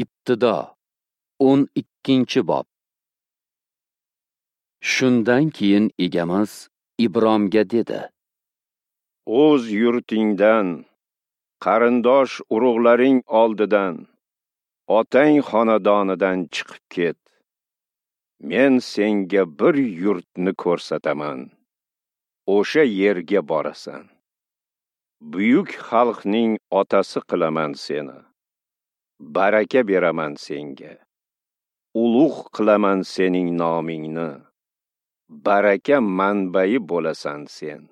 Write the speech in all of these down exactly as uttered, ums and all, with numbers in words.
Ibtido o'n ikkinchi bob. Shundan keyin Egamiz Ibromga dedi: O'z yurtingdan, qarindosh urug'laring oldidan, otang xonadonidan chiqib ket. Men senga bir yurtni ko'rsataman. O'sha yerga borasan. Buyuk xalqning otasi qilaman seni. Baraka beraman senga. Ulug' qilaman sening nomingni. Baraka manbai bo'lasan sen.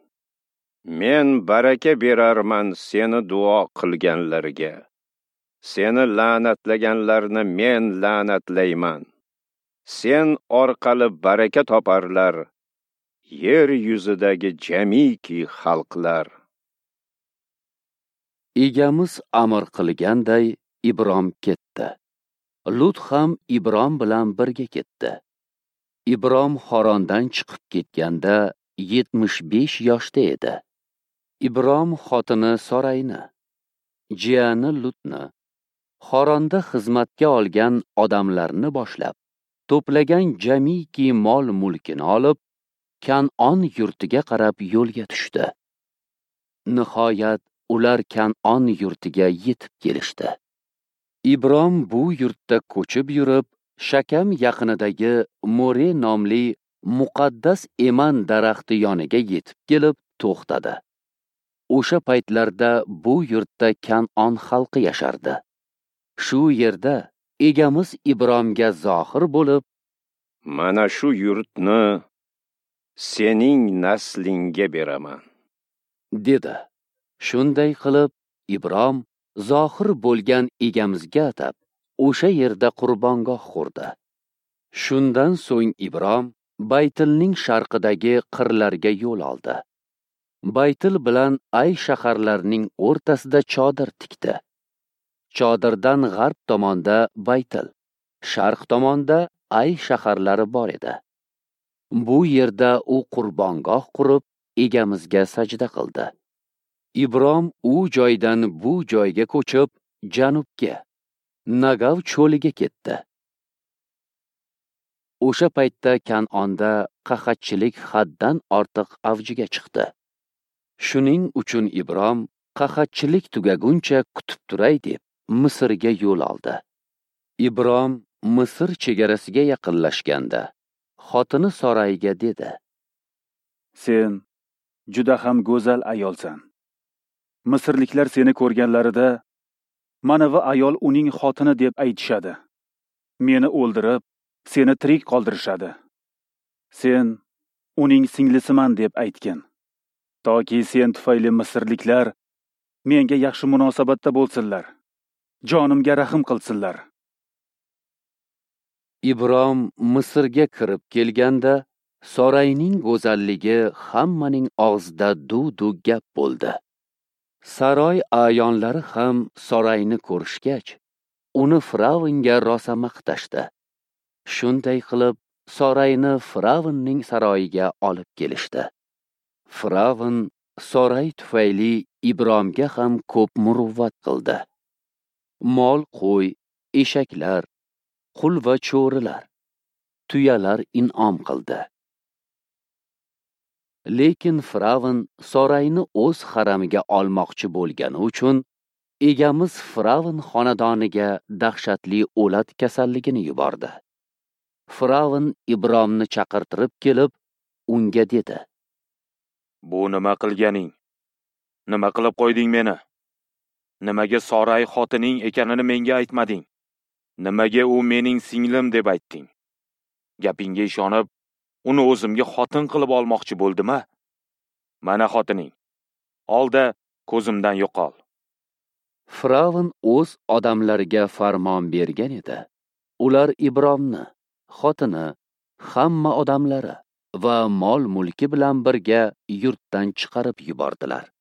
Men baraka berarman seni duo qilganlarga. Seni la'natlaganlarni men la'natlayman. Sen orqali baraka toparlar yer yuzidagi jamiki xalqlar. Egamiz amr qilganday Ibrom ketdi. Lut ham Ibrom bilan birga ketdi. Ibrom Xorondan chiqib ketganda yetmish besh yoshda edi. Ibrom xotini Sorayni, jiyani Lutni, Xoronda xizmatga olgan odamlarni boshlab, to'plagan jamiki mol-mulkini olib, Kan'on yurtiga qarab yo'lga tushdi. Nihoyat ular Kan'on yurtiga yetib kelishdi. Ibrom bu yurtda ko'chib yurib, Shakam yaqinidagi More nomli muqaddas eman daraxti yoniga yetib kelib to'xtadi. O'sha paytlarda bu yurtda Kan'on xalqi yashardi. Shu yerda Egamiz Ibromga zohir bo'lib, "Mana shu yurtni sening naslingga beraman" dedi. Shunday qilib Ibrom zohir bo'lgan Egamizga atab o'sha yerda qurbongoh qurdi. Shundan so'ng Ibrom Baytilning sharqidagi qirlarga yo'l oldi. Baytil bilan Ay shaharlarining o'rtasida chodir tikdi. Chodirdan g'arb tomonda Baytil, sharq tomonda Ay shaharlari bor edi. Bu yerda u qurbongoh qurib, Egamizga sajda qildi. Ibrom u joydan bu joyga ko'chib, janubga, Nagav cho'liga ketdi. O'sha paytda Kan'onda qahatchilik haddan ortiq avjiga chiqdi. Shuning uchun Ibrom qahatchilik tugaguncha kutib turay deb Misrga yo'l oldi. Ibrom Misr chegarasiga yaqinlashganda xotini Sorayga dedi: "Sen juda ham go'zal ayolsan. Misrliklar seni ko'rganlarida mana bu ayol uning xotini deb aytishadi. Meni o'ldirib, seni tirik qoldirishadi. Sen uning singlisiman deb aytgin. Toki sen tufayli misrliklar menga yaxshi munosabatda bo'lsinlar. Jonimga rahim qilsinlar." Ibrom Misrga kirib kelganda Sorayning go'zalligi hammaning og'zida duv-duv gap bo'ldi. Saroy a'yonlari ham Sorayni ko'rishgach, uni Firavnga rosa maqtashdi. Shunday qilib Sorayni Firavnning saroyiga olib kelishdi. Firavn Soray tufayli Ibromga ham ko'p muruvvat qildi. Mol, qo'y, eshaklar, qul va cho'rilar, tuyalar in'om qildi. Lekin Firavn Sorayni o'z haramiga olmoqchi bo'lgani uchun Egamiz Firavn xonadoniga dahshatli o'lat kasalligini yubordi. Firavn Ibromni chaqirtirib kelib, unga dedi: "Bu nima qilganing? Nima qilib qo'yding meni? Nimaga Soray xotining ekanini menga aytmading? Nimaga u mening singlim deb aytding? Gapingga ishonib, uni o'zimga xotin qilib olmoqchi bo'ldim-a? Mana xotining. Olda ko'zimdan yo'qol." Firavn o'z odamlariga farmon bergan edi. Ular Ibromni, xotini, hamma odamlari va mol-mulki bilan birga yurtdan chiqarib yubordilar.